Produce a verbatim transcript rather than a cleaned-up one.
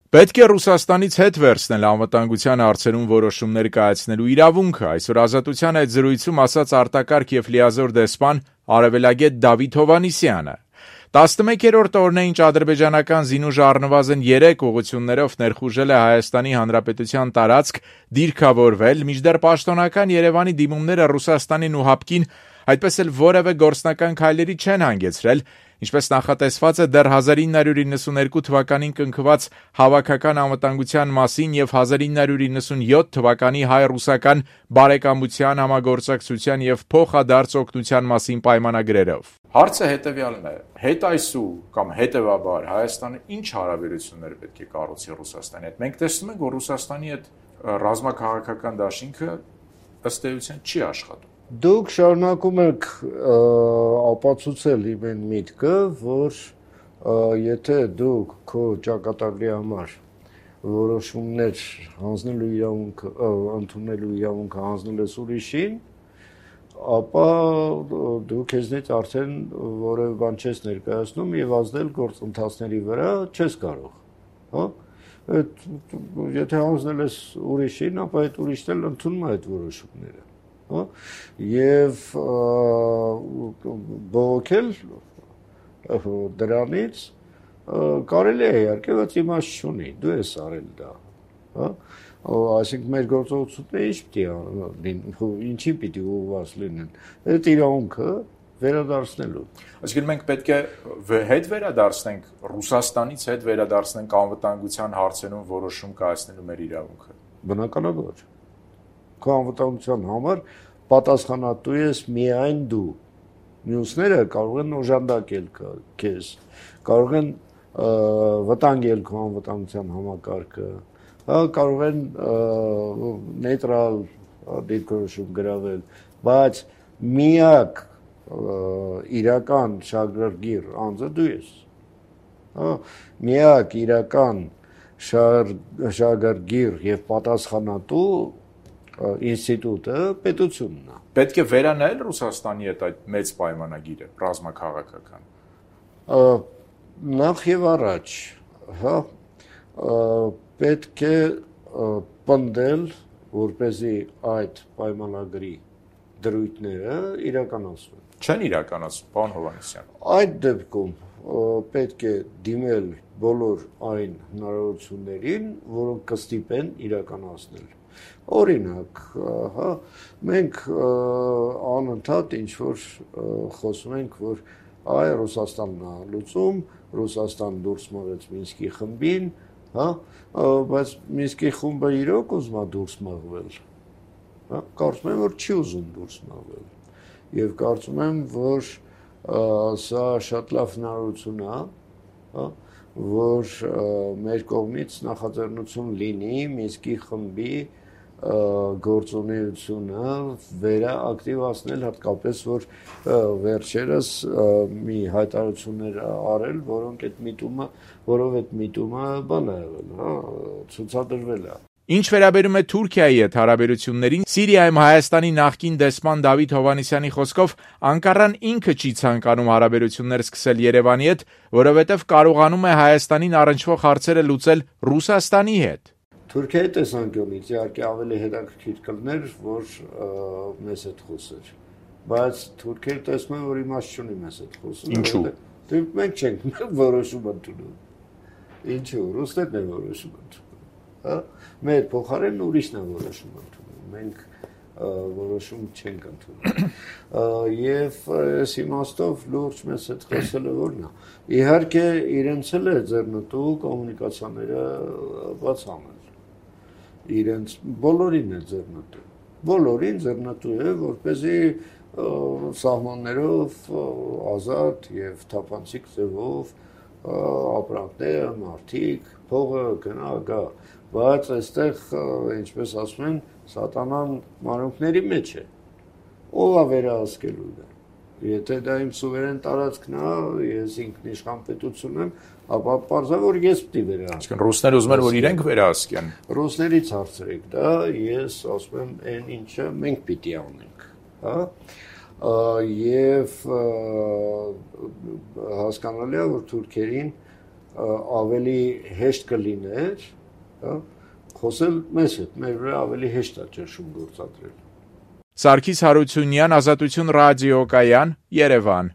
Պետք է Ռուսաստանից հետ վերցնել անվտանգության հարցերում որոշումներ կայացնելու իրավունքը, այսօր Ազատության այդ զրույցում ասաց արտակարգ եւ լիազոր դեսպան արևելագետ Դավիթ Հովհաննիսյանը։ տասնմեկերորդ օրն է, ինչ ադրբեջանական զինուժը առնվազն երեք ուղղություններով ներխուժել է Հայաստանի Հանրապետության տարածք, դիրքավորվել, մինչդեռ պաշտոնական Երևանի դիմումները Ռուսաստանին ու ՀԱՊԿ-ին այդպես էլ որևէ գործնական քայլերի չեն հանգեցրել, ինչպես նախատեսված է դեռ հազար ինը հարյուր իննսունհինգ թվականին կնքված Հավաքական անվտանգության մասին եւ հազար ինը հարյուր իննսունյոթ թվականի հայ-ռուսական բարեկամության, համագործակցության եւ փոխադարձ օգնության մասին պայմանագրերով։ Հարցը հետեւյալն է. հետայսու կամ հետեւաբար Հայաստանը ինչ հարաբերություններ պետք է կառուցի Ռուսաստանի հետ։ Մենք տեսնում ենք, որ Ռուսաստանի հետ ռազմաքաղաքական դաշինքը ըստ էության չի աշխատում։ Դուք շարունակում եք ապացուցել իմ այն միտքը, որ եթե դուք քո ճակատագրի համար որոշումներ հանձնելու իրավունքը, ընդունելու իրավունքը հանձնել ես ուրիշին, ապա դու քեզնից արդեն որևէ բան չես ներկայացնում եւ ազդել գործընթացների վրա չես կարող, հա։ Եթե հանձնել ես ուրիշին, ապա այդ ուրիշն էլ ընդունում է այդ որոշումները, հա։ Եվ բողոքել դրանից կարելի է իհարկե, բայց իմաստ չունի, դու ես արել դա, հա։ Այսինքն մեր գործողությունները ինչ պիտի լինեն, ինչի պիտի ուղղված լինեն, այդ իրավունքը վերադարձնելու։ Այսինքն մենք պետք է հետ վերադարձնենք Ռուսաստանից հետ վերադարձնենք անվտանգության հարցերում որոշում կայացնելու մեր իրավունքը։ Բնականաբար։ Քո անվտանգության համար պատասխանատու ես միայն դու։ Մյուսները կարող են օժանդակել քեզ, կարող են վտանգել քո անվտանգության համակարգը, կարող են նեյտրալ դիրքորոշում գրավել, բայց միակ իրական շահագրգիռ անձը դու ես, միակ իրական շահագրգիռ եւ պատասխանատու ինստիտուտը պետությունն է։ Պետք է վերանայել Ռուսաստանի հետ այդ մեծ պայմանագիրը ռազմաքաղաքական։ Նախ եւ առաջ, հա, պետք է պնդել, որպեսզի այդ պայմանագրի դրույթները իրականացվեն։ Չեն իրականացվում, պարոն Հովհաննիսյան։ Այդ դեպքում պետք է դիմել բոլոր այն հնարավորություններին, որոնք կստիպեն իրականացնել։ Օրինակ, հա, մենք անընդհատ ինչ որ խոսում ենք, որ այ Ռուսաստանն է լուծում, Ռուսաստան դուրս մղեց Մինսկի խմբին, հա, բայց Մինսկի խումբը իրոք ուզում է դուրս մղվել, հա, կարծում եմ, որ չի ուզում դուրս մղվել, եւ կարծում եմ, որ սա շատ լավ հնարավորություն է, հա, որ մեր կողմից նախաձեռնություն լինի Մինսկի խմբի գործունեությունը վերաակտիվացնել, հատկապես որ վերջերս մի հայտարարություններ արել, որոնք այդ միտումը, որով այդ միտումը բան է եղել, հա, ցուցադրվել է։ Ինչ վերաբերում է Թուրքիայի հետ հարաբերություններին, Սիրիայում Հայաստանի նախկին դեսպան Դավիթ Հովհաննիսյանի խոսքով Անկարան ինքը չի ցանկանում հարաբերություններ սկսել Երևանի հետ, որովհետև կարողանում է Հայաստանին առնչվող հարցերը լուծել Ռուսաստանի հետ։ Թուրքիայի տեսանկյունից իհարկե ավելի հետաքրքիր կլներ, որ մեզ հետ խոսեր, բայց Թուրքիան տեսնում են, որ իմաստ չունի մեզ հետ խոսել։ Ինչու՞։ Դե մենք չենք որոշում ընդունում։ Ինչու՞։ Ռուսներն են որոշում ընդունում։ Հա, մեր փոխարեն ուրիշն է որոշում ընդունում։ Մենք որոշում չենք ընդունում։ Եվ այս իմաստով լուրջ մեզ հետ խոսելը որն է։ Իհարկե իրենց էլ է ձեռնտու կոմունիկացիաները բաց անել։ Իրենց բոլորին է ձեռնտու, բոլորին ձեռնտու է, որպեսզի սահմաններով ազատ եւ թափանցիկ ձևով ապրանքները, մարդիկ, փողը գնա գա, բայց այստեղ, ինչպես ասում են, սատանան մանրուքների մեջ է, ով է վերահսկելու դա։ Եթե դա իմ սուվերեն տարածքն է, ես ինքնիշխան պետություն եմ, ապա պարզա որ ես պիտի վերահսկեմ։ Ռուսները ուզում են, որ իրենք վերահսկեն։ Ռուսներից հարցրեք դա, ես ասում եմ, այն ինչը մենք պիտի անենք, հա։ Եվ հասկանալի է, որ թուրքերին ավելի հեշտ կլիներ, հա, խոսել մեզ հետ, մեր վրա ավելի հեշտ է ճնշում գործադրել։ Սարգիս Հարությունյան, Ազատություն ռադիոկայան, Երևան։